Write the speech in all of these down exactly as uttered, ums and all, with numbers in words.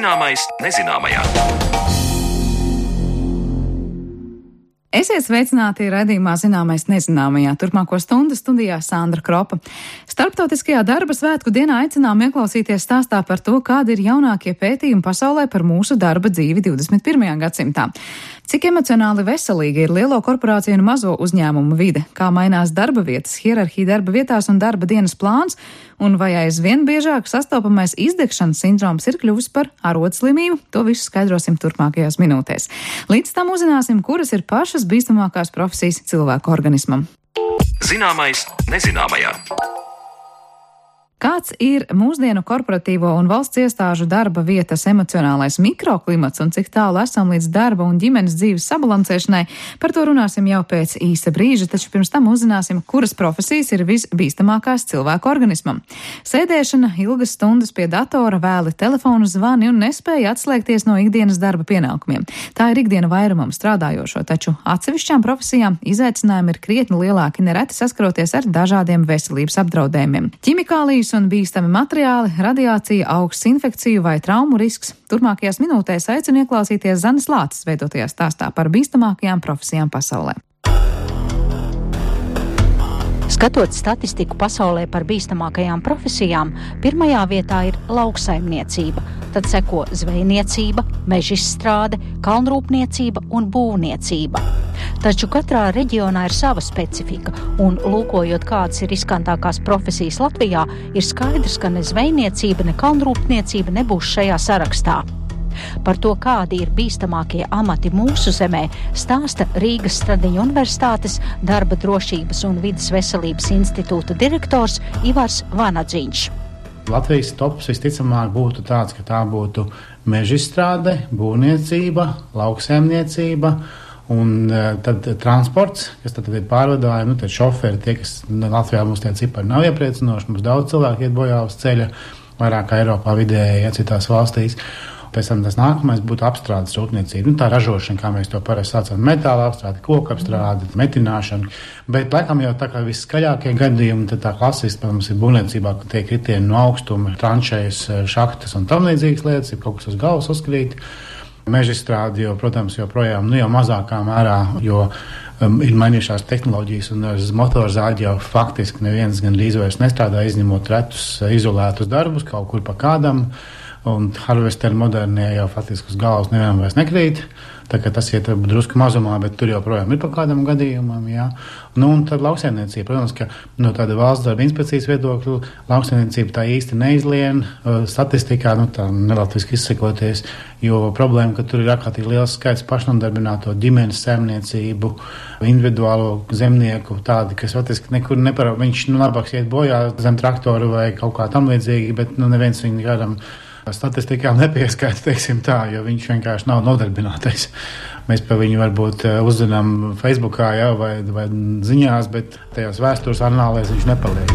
Zināmais nezināmajā. Esiet sveicināti raidījumā Zināmais nezināmajā. Turpmāko stundu studijā Sandra Kropa. Starptautiskajā darba svētku dienā aicinām ieklausīties stāstā par to, kādi ir jaunākie pētījumi pasaulē par mūsu darba dzīvi divdesmit pirmajā gadsimtā. Cik emocionāli veselīga ir lielo korporāciju un mazo uzņēmumu vide, kā mainās darba vietas, hierarhija darba vietās un darba dienas plāns, un vai aizvien biežāk sastopamais izdegšanas sindroms ir kļuvis par arodslimību, to visu skaidrosim turpmākajās minūtēs. Līdz tam uzzināsim, kuras ir pašas bīstamākās profesijas cilvēku organismam. Zināmais nezināmajā. Kāds ir mūsdienu korporatīvo un valsts iestāžu darba vietas emocionālais mikroklimats un cik tālu esam līdz darba un ģimenes dzīves sabalansēšanai, par to runāsim jau pēc īsa brīža, taču pirms tam uzzināsim, kuras profesijas ir visbīstamākās cilvēku organismam. Sēdēšana, ilgas stundas pie datora, vēli telefonu zvani un nespēja atslēgties no ikdienas darba pienākumiem. Tā ir ikdiena vairumam strādājošo, taču atsevišķām profesijām izaicinājumi ir krietni lielāki, nereti saskaroties ar dažādiem veselības apdraudējumiem. Ķimikālijas un bīstami materiāli, radiācija, augsts infekciju vai traumu risks. Turpmākajās minūtēs aicinu ieklausīties Zanes Lāces veidotajā stāstā par bīstamākajām profesijām pasaulē. Skatot statistiku pasaulē par bīstamākajām profesijām, pirmajā vietā ir lauksaimniecība, tad seko zvejniecība, mežizstrāde, kalnrūpniecība un būvniecība. Taču katrā reģionā ir sava specifika, un lūkojot, kādas ir riskantākās profesijas Latvijā, ir skaidrs, ka ne zvejniecība, ne kalnrūpniecība nebūs šajā sarakstā. Par to, kādi ir bīstamākie amati mūsu zemē, stāsta Rīgas Stradiņu Universitātes darba drošības un vides veselības institūta direktors Ivars Vanadziņš. Latvijas tops visticamāk būtu tāds, ka tā būtu mežizstrāde, būvniecība, lauksaimniecība un tad transports, kas tad ir pārvadājumi, nu tad šoferi, tie, kas Latvijā mums tie cipari nav iepriecinoši, mums daudz cilvēku iet bojā uz ceļa, vairāk kā Eiropā vidēji, ja citās valstīs. Pēc tam tas nākamais būtu apstrādes rūpniecība. Nu, tā ražošana, kā mēs to parasti saucam, metāla apstrāde, koku apstrāde, metināšana. Bet, laikam, jau tā kā viskaļākie gadījumi, tad tā klasiski, protams, ir būvniecībā, ka tiek kritieni no augstuma, tranšējas, šahtas un tam līdzīgas lietas, ir kaut kas uz galvas uzkrīt. Mežizstrāde, jo, protams, joprojām, nu jau mazākā mērā, jo um, ir mainījušās tehnoloģijas un uz motorzāģi jau faktiski neviens gan līdz vairs nestrādā, izņemot retus izolētus darbus kaut kur pa kādam. Un harvesteri modernie jau faktiski uz galvas nevienam vairs nekrīt. Tā kā tas iet drusku mazumā, bet tur joprojām ir pa kādam gadījumam, jā. Nu, un tad lauksaimniecība, protams, ka no tāda valsts darba inspekcijas viedokļa lauksaimniecība tā īsti neizlien statistikā, nu tā nelatviski izsakoties, jo problēma, ka tur ir ārkārtīgi liels skaits pašnodarbināto ģimenes saimniecību, individuālo zemnieku, tādi, kas faktiski nekur neparā, viņš nu labāk iet bojā zem traktoru vai kaut kā tam līdzīgi, bet nu neviens viņu kādam statistikā nepieskaita, teiksim tā, jo viņš vienkārši nav nodarbinātais. Mēs par viņu varbūt uzzinām Facebookā, jā, vai, vai ziņās, bet tajās vēstures anālēs viņš nepaliek.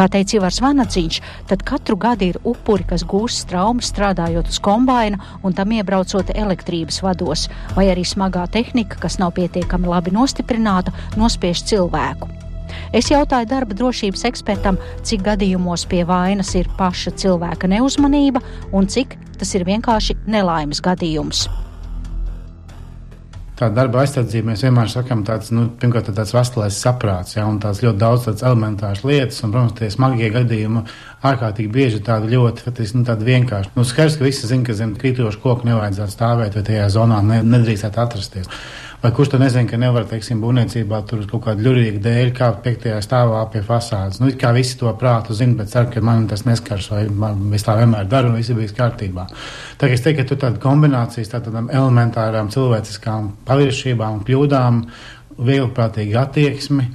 Kā teica Ivars Vanadziņš, tad katru gadu ir upuri, kas gūst traumas strādājot uz kombaina un tam iebraucot elektrības vados, vai arī smagā tehnika, kas nav pietiekami labi nostiprināta, nospiež cilvēku. Es jautāju darba drošības ekspertam, cik gadījumos pie vainas ir paša cilvēka neuzmanība un cik tas ir vienkārši nelaimes gadījums. Tā darba aizsardzība, mēs vienmēr sakam tāds, nu, pirmkārt tāds vestelais saprāts, jā, un tās ļoti daudz tāds elementārs lietas, un, protams, tie smagie gadījumi ārkārtīgi bieži tādi ļoti, nu, tādi vienkārši. Nu, skaidrs, ka visi zina, ka zem krītošu koku nevajadzētu stāvēt, vai tajā zonā ne, nedrīkstētu atrasties. Vai kurš to nezina, ka nevar, teiksim, būvniecībā tur kaut kādu ļurīgu dēļ kāpt piektajā stāvā pie fasādes. Nu, it kā visi to prātu zina, bet ceru, ka man tas neskars, vai man, es tā vienmēr daru, un visi bijis kārtībā. Tā kā es teiktu, ka tur tāda kombinācijas, tādām elementārām cilvēciskām paviršībām, kļūdām, vieglprātīga attieksmi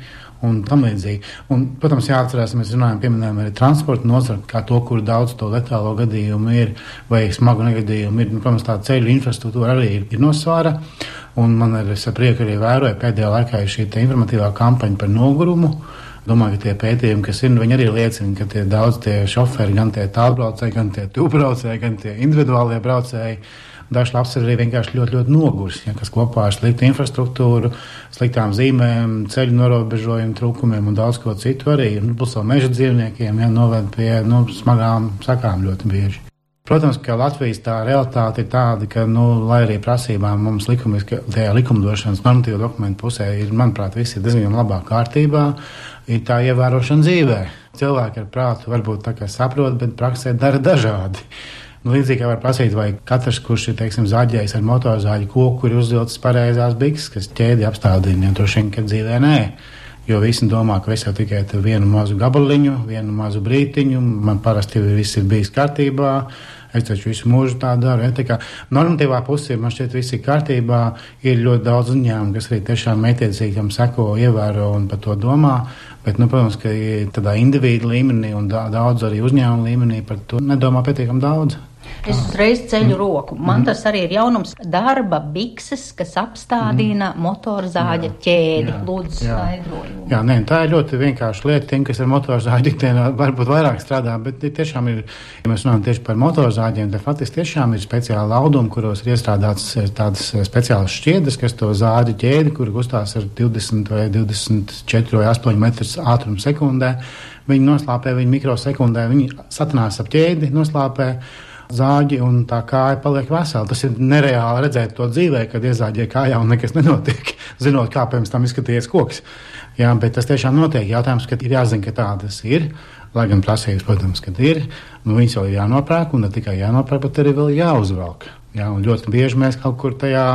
un tam līdzīgi. Un, protams, jāatcerās, mēs runājam, pieminējam arī transporta nozari, kā to, kur daudz to letālo gadījumu ir, vai smagu negadījumu ir. Nu, protams, tā ceļu infrastruktūra arī ir, ir nosvara. Un man ir, es ar prieku arī vēroju, pēdējā laikā ir šī informatīvā kampaņa par nogurumu. Domāju, ka tie pētījumi, kas ir, viņi arī liecina, ka tie daudz tie šoferi, gan tie tālbraucēji, gan tie tūbraucēji, gan tie individuālie braucēji, Dažs labs ir arī vienkārši ļoti, ļoti nogurs, ja, kas kopā ar sliktu infrastruktūru, sliktām zīmēm, ceļu norobežojumu trūkumiem un daudz ko citu arī. Nu, plus vēl meža dzīvniekiem, ja, noved pie nu, smagām sakām ļoti bieži. Protams, ka Latvijas tā realitāte ir tāda, ka, nu, lai arī prasībām mums likumiski, tajā likumdošanas normatīva dokumentu pusē ir, manuprāt, viss ir diezgan labā kārtībā, ir tā ievērošana dzīvē. Cilvēki ar prātu varbūt tā kā saprot, bet praksē dara dažādi. Nu, līdzīgi kā var prasīt, vai katrs, kurš ir, teiksim, zaģējis ar motorzāģi koku, ir uzvilcis pareizās bikses, kas ķēdi apstādina, ja droši vien, ka dzīvē nē. Jo visi domā, ka es jau tikai vienu mazu gabaliņu, vienu mazu brītiņu, man parasti viss ir bijis kārtībā, es taču visu mūžu tā daru. Ja, tā kā normatīvā pusē man šķiet viss ir kārtībā, ir ļoti daudz uzņēmumu, kas arī tiešām mētiecīgi tam seko, ievēro un par to domā, bet, nu, protams, ka tādā individu līmenī un daudz arī uzņēmumu līmenī par to nedomā pietiekam daudz. Es uzreiz ceļu roku. Man tas arī ir jaunums darba bikses, kas apstādina mm. motorzāģa ķēdi. Jā, Lūdzu, skaidrojumu. Jā, nē, tā ir ļoti vienkārša lieta. Tiem, kas ar motorzāģi ikdienā varbūt vairāk strādā, bet tiešām ir, ja mēs runājam tieši par motorzāģiem, tad faktiski tiešām ir speciāli laudumi, kuros ir iestrādāts tādas speciālas šķiedras, kas to zāģi ķēdi, kur kustās ar divdesmit vai divdesmit četri vai astoņi metrus ātrumu sekundē. Viņi noslāpē, viņi mikrosekundē, viņi satinās ap ķēdi, noslāpē zāģi un tā kāja paliek vesela. Tas ir nereāli redzēt to dzīvē, kad iezāģē kājā un nekas nenotiek, zinot, kā pirms tam izskatījies koks. Jā, bet tas tiešām notiek. Jautājums, ka ir jāzina, ka tādas ir, lai gan prasības, protams, kad ir, nu viņas jau ir jānopērk un ne tikai jānopērk, bet arī vēl jāuzvelk. Jā, un ļoti bieži mēs kaut kur tajā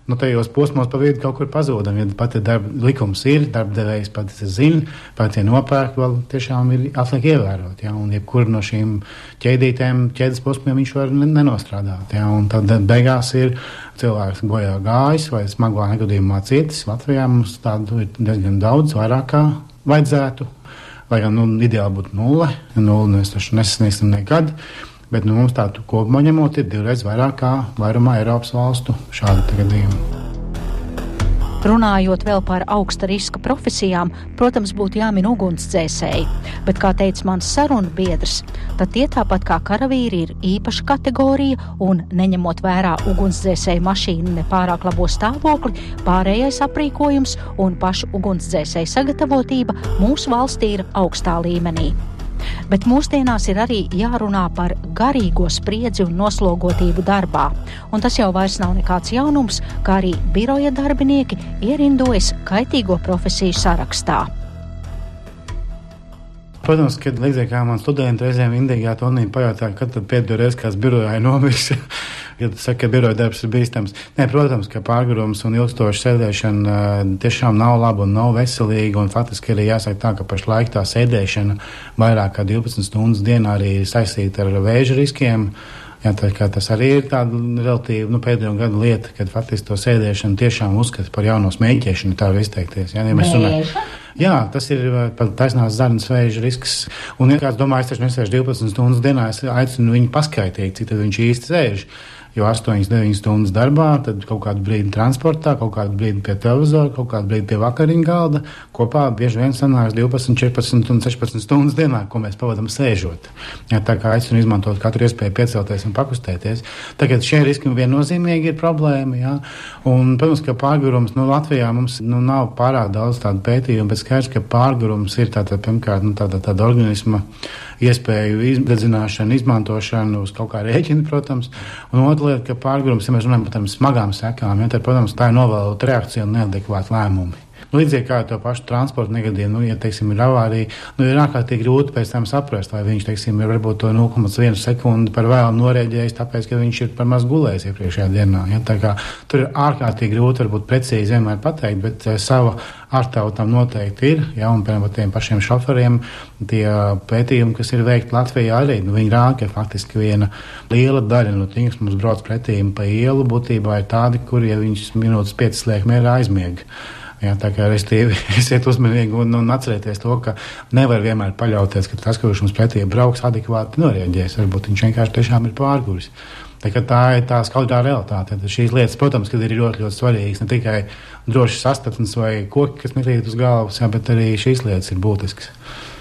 nu, tajos posmos pa vidu kaut kur pazūdam. Ja pat darba likums ir, darbdevējs pats zina, pats ir nopērk, vēl tiešām ir atliek ievērot. Ja? Un jebkur no šīm ķēdītēm, ķēdes posmiem viņš var nenostrādāt. Ja? Un tad beigās ir cilvēks bojā gājis vai smagā negadījumā cietis. Latvijā mums tādu ir diezgan daudz, vairāk kā vajadzētu. Lai gan nu, ideāli būtu nulle, nulle mēs taču nesasniegsim nekad. Bet nu, mums tādu kopumā ņemot ir divreiz vairāk kā vairumā Eiropas valstu šādi gadījumi. Runājot vēl par augsta riska profesijām, protams, būtu jāmin ugunsdzēsēji, bet, kā teica mans sarunu biedrs, tad tie tāpat kā karavīri ir īpaša kategorija un, neņemot vērā ugunsdzēsēju mašīnu nepārāk labo stāvokli, pārējais aprīkojums un pašu ugunsdzēsēju sagatavotība mūsu valstī ir augstā līmenī. Bet mūsdienās ir arī jārunā par garīgo spriedzi un noslogotību darbā. Un tas jau vairs nav nekāds jaunums, kā arī biroja darbinieki ierindojas kaitīgo profesiju sarakstā. Protams, kad līdzīgi kā man studenti reizēm indīgā tonī pajautā, kad tad pēdējo reizi kāds birojā ir nomiris, kad saka, ka biroja darbs ir bīstams. Nē, protams, ka pārgurums un ilgstoša sēdēšana tiešām nav laba un nav veselīga, un faktiski arī jāsaka tā, ka pašlaik tā sēdēšana vairāk kā divpadsmit stundas dienā arī ir saistīta ar vēža riskiem. Jā, tā kā tas arī ir tāda relatīvi nu, pēdējo gadu lieta, kad faktiski to sēdēšanu tiešām uzskata par jauno smēķēšanu, tā var izteikties. Jā, ja mēs runājam. Jā, tas ir pat taisnās zarnas vēža risks. Un, ja kāds domā, es taču nesēžu divpadsmit stundas dienā, es aicinu viņu paskaitīt, cik tad viņš īsti sēž. Jo astoņas deviņas stundas darbā, tad kaut kādu brīdi transportā, kaut kādu brīdi pie televizora, kaut kādu brīdi pie vakariņu galda. Kopā bieži vien sanāks divpadsmit, četrpadsmit un sešpadsmit stundas dienā, ko mēs pavadam sēžot. Jā, tā kā aicinu izmantot katru iespēju piecelties un pakustēties. Tagad šie riski viennozīmīgi ir problēma. Jā. Un, protams, ka pārgurums, nu, Latvijā mums nu, nav pārāk daudz tādu pētījumu, bet skaidrs, ka pārgurums ir tāda, pirmkārt, nu, tāda, tāda organisma iespēju izdedzināšanu, izmantošanu uz kaut kā rēķina, protams. Un otra lieta, ka pārgurums, ja mēs runājam par tādām smagām sekām, ja, tad, protams, tā ir novēlota reakcija un neadekvāta lēmumi. Nu, līdzīgi kā to pašu transporta negadījumu, nu, ja, teiksim, ir avārija, nu, ir ārkārtīgi grūti pēc tam saprast, vai viņš, teiksim, ir varbūt to nulle komats viena sekundi par vēlu norēģējis, tāpēc, ka viņš ir par maz gulējis iepriekšējā dienā. Ja, tā kā tur ir ārkārtīgi grūti, varbūt precīzi vienmēr pateikt, bet uh, sava ārtava tam noteikti ir, ja, un, piemēram, tiem pašiem šoferiem tie pētījumi, kas ir veikti Latvijā arī, nu, viņi rāda, ka faktiski viena liela daļa no tiem, kas mums brauc pretīm pa ielu, būtībā ir tādi, kur, ja viņš minūtes piecas liek mierā, aizmiega. Jā, tā kā restīvi esiet uzmanīgi un, un atcerieties to, ka nevar vienmēr paļauties, ka tas, kurš mums pretī brauks, adekvāti norēģēs. Varbūt viņš vienkārši tiešām ir pārguris. Tā, tā ir tā skaidrā realitāte. Tad šīs lietas, protams, kad ir ļoti, ļoti svarīgas, ne tikai droši sastatnes vai koki, kas nekrīt uz galvas, jā, bet arī šīs lietas ir būtiskas.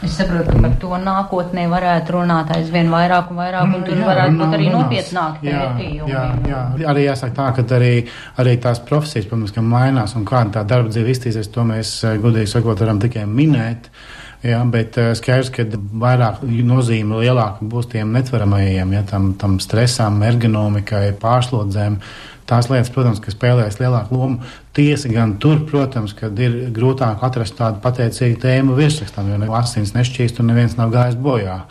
Es saprotu, ka par to nākotnē varētu runāt aizvien vairāk un vairāk, un tur jā, varētu būt arī nopietnāk pētījumi. Jā, jā, jā. Arī jāsaka tā, ka arī, arī tās profesijas, protams, ka mainās un kāda tā darba dzīve iztīsies, to mēs godīgi sakot varam tikai minēt. Jā, bet skaidrs, ka vairāk nozīme lielāka būs tiem netveramajiem, ja, tam, tam stresām, ergonomikai, pārslodzēm. Tās lietas, protams, ka spēlēs lielāku lomu. Tiesa gan tur, protams, kad ir grūtāk atrast tādu pateicīgu tēmu virsrakstam, jo asins nešķīst un neviens nav gājis bojā.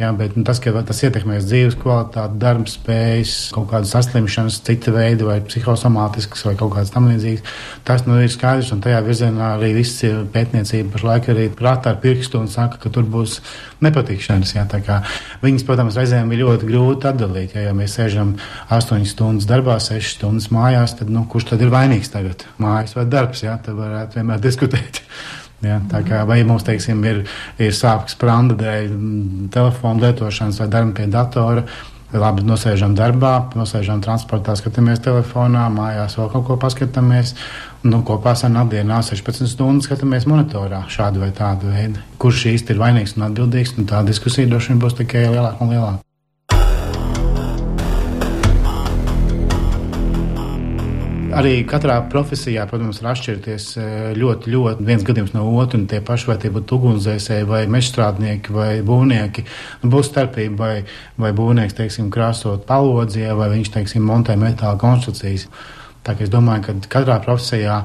Jā, bet nu, tas, ka tas ietekmēs dzīves kvalitāti, darba spējas, kaut kādas saslimšanas, cita veida vai psihosomātiskas vai kaut kādas tam līdzīgas, tas nu ir skaidrs, un tajā virzienā arī viss pētniecība pašlaik arī prātā ar pirkstu un saka, ka tur būs nepatikšanas. Jā, tā kā viņas, protams, reizēm ir ļoti grūti atdalīt. Jā, ja mēs sēžam astoņas stundas darbā, sešas stundas mājās, tad nu, kurš tad ir vainīgs tagad? Mājas vai darbs? Jā, tad varētu vienmēr diskutēt. Ja, tā kā vai mums, teiksim, ir, ir sāpes spranda dēļ telefonu lietošanas vai darba pie datora, labi nosēžam darbā, nosēžam transportā, skatāmies telefonā, mājās vēl kaut ko paskatāmies, nu, kopā sanāk dienā sešpadsmit stundas skatāmies monitorā šādu vai tādu veidu. Kurš īsti ir vainīgs un atbildīgs, un tā diskusija droši vien būs tikai lielāka un lielāka. Arī katrā profesijā, protams, var atšķirties ļoti, ļoti viens gadījums no otru, un tie paši, vai tie būtu ugunsdzēsēji, vai mežstrādnieki, vai būvnieki. Būs starpība, vai, vai būvnieks, teiksim, krāsot palodzie, vai viņš, teiksim, montē metāla konstrukcijas. Tā kā es domāju, ka katrā profesijā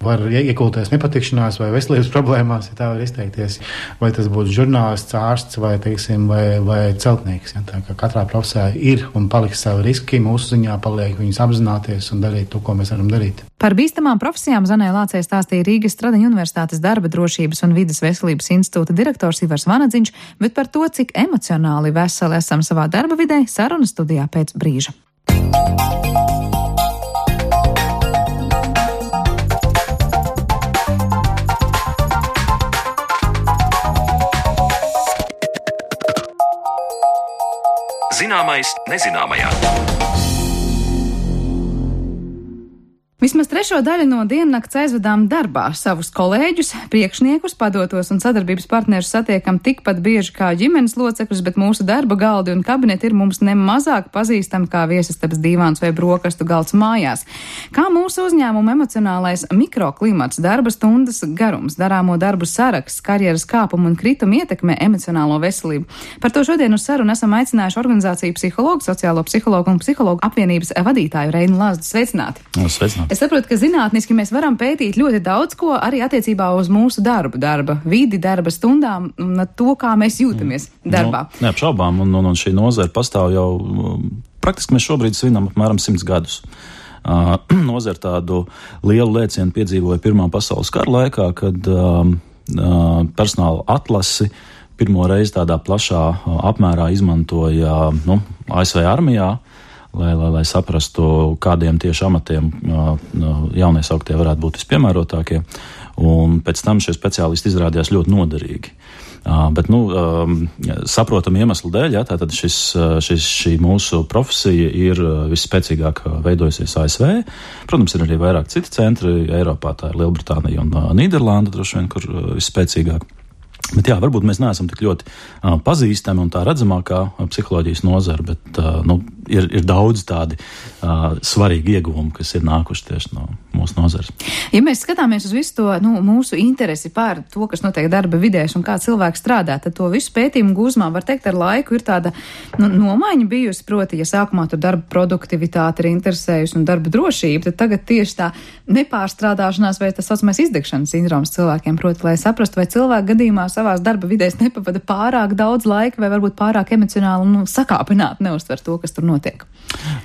var iekulties nepatikšanās vai veselības problēmās, ja tā var izteikties. Vai tas būtu žurnālists, ārsts vai, teiksim, vai, vai celtnieks. Ja? Tā kā katrā profesijā ir un paliks savi riski, mūsu ziņā paliek viņus apzināties un darīt to, ko mēs varam darīt. Par bīstamām profesijām Zanai Lācei stāstīja Rīgas Stradiņu Universitātes darba drošības un vides veselības institūta direktors Ivars Vanadziņš, bet par to, cik emocionāli veseli esam savā darba vidē, saruna studijā pēc brīža. Zināmais nezināmajā. Vismaz trešo daļu no diennakts aizvedām darbā. Savus kolēģus, priekšniekus, padotos un sadarbības partnerus satiekam tikpat bieži kā ģimenes locekļus, bet mūsu darba galdi un kabineti ir mums nemazāk pazīstami kā viesistabas dīvāns vai brokastu galds mājās. Kā mūsu uzņēmuma emocionālais mikroklimats, darba stundas garums, darāmo darbu saraksts, karjeras kāpumu un kritumu ietekmē emocionālo veselību. Par to šodien uz sarunu esam aicinājuši organizāciju psihologu, sociālo psihologu un psihologu apvienības vadītāju Reinu Lazdu. Sveicināti! Sveicināti! Es saprotu, ka zinātniski mēs varam pētīt ļoti daudz ko arī attiecībā uz mūsu darbu, darba vidi, darba stundām un to, kā mēs jūtamies darbā. No, neapšaubām, un, un, un šī nozara pastāv jau, praktiski mēs šobrīd svinam apmēram simts gadus. Uh, nozara tādu lielu lēcienu piedzīvoja Pirmā pasaules kara laikā, kad uh, uh, personāla atlasi pirmo reizi tādā plašā uh, apmērā izmantoja nu, A S V armijā, Lai, lai, lai saprastu, kādiem tieši amatiem uh, jauniesauktie varētu būt vispiemērotākie. Un pēc tam šie speciālisti izrādījās ļoti noderīgi. Uh, bet, nu, um, saprotam iemeslu dēļ, ja, tātad šis, šis, šī mūsu profesija ir visspēcīgāk veidojusies A S V. Protams, ir arī vairāk citi centri. Eiropā tā ir Lielbritānija un uh, Nīderlanda, droši vien, kur uh, visspēcīgāk. Bet jā, varbūt mēs neesam tik ļoti uh, pazīstami un tā redzamākā uh, psiholoģijas nozara, bet uh, nu, ir, ir daudz tādi uh, svarīgi ieguvumi, kas ir nākuši tieši no mūsu nozares. Ja mēs skatāmies uz visu to nu, mūsu interesi pār to, kas notiek darba vidēs un kā cilvēks strādā, tad to visu pētījumu gūzmā, var teikt, ar laiku ir tāda nu, nomaiņa bijusi, proti, ja sākumā tur darba produktivitāte ir interesējusi un darba drošība, tad tagad tieši tā nepārstrādāšanās vai tas saucamais izdegšanas sindroms cilvēkiem, proti, lai saprastu, vai cilvēku gadījumā savās darba vidēs nepavada pārāk daudz laika vai varbūt pārāk emocionāli nu, sakāpināti neuztver to, kas tur notiek.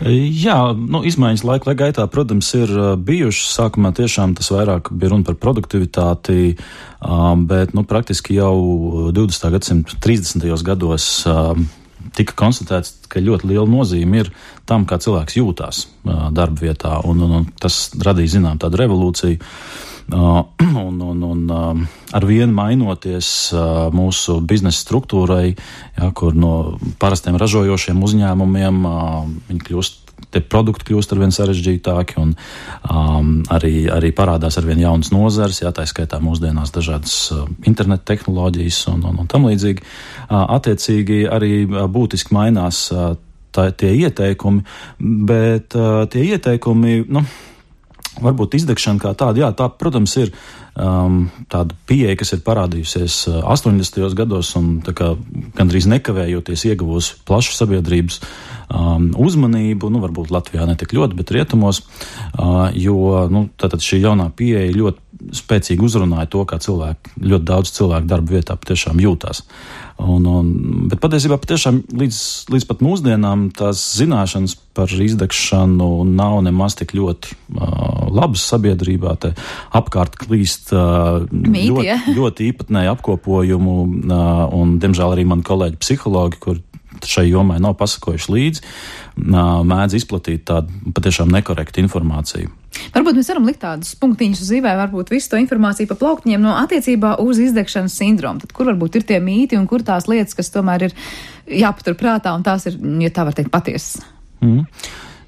Jā, nu, izmaiņas laika gaitā, protams, ir bijušas. Sākumā tiešām tas vairāk bija runa par produktivitāti, bet nu, praktiski jau divdesmitā gadsimta trīsdesmitajos gados tika konstatēts, ka ļoti liela nozīme ir tam, kā cilvēks jūtās darba vietā, un, un, un tas radīja, zinām, tādu revolūciju. un, un, un ar vienu mainoties mūsu biznesa struktūrai, ja, kur no parastiem ražojošiem uzņēmumiem viņi kļūst, tie produkti kļūst arvien sarežģītāki un um, arī, arī parādās arvien jaunas nozares, jā, tā skaitā mūsdienās dažādas uh, interneta tehnoloģijas un, un, un tam līdzīgi. Uh, attiecīgi arī uh, būtiski mainās uh, tā, tie ieteikumi, bet uh, tie ieteikumi, nu, varbūt izdegšana kā tāda, jā, tā, protams, ir um, tāda pieeja, kas ir parādījusies uh, astoņdesmitajos gados un tā kā gandrīz nekavējoties ieguvusi plašu sabiedrības um, uzmanību, nu, varbūt Latvijā ne tik ļoti, bet rietumos, uh, jo, nu, tātad šī jaunā pieeja ļoti spēcīgi uzrunāja to, kā cilvēki, ļoti daudz cilvēku darba vietā patiešām jūtās. Un, un, bet patiesībā patiešām līdz, līdz pat mūsdienām tās zināšanas par izdegšanu nav nemaz tik ļoti uh, labas sabiedrībā. Te apkārt klīst uh, Mīti, ļoti, ja? ļoti īpatnēju apkopojumu uh, un, diemžēl, arī mani kolēģi psihologi, kur šai jomai nav pasakojuši līdzi, uh, mēdz izplatīt tādu patiešām nekorektu informāciju. Varbūt mēs varam likt tādus punktiņus uz zīvē, varbūt visu to informāciju pa plauktiņiem no attiecībā uz izdegšanas sindromu. Tad kur varbūt ir tie mīti un kur tās lietas, kas tomēr ir jāpatur prātā un tās ir, ja tā var teikt, patiesas? Mm.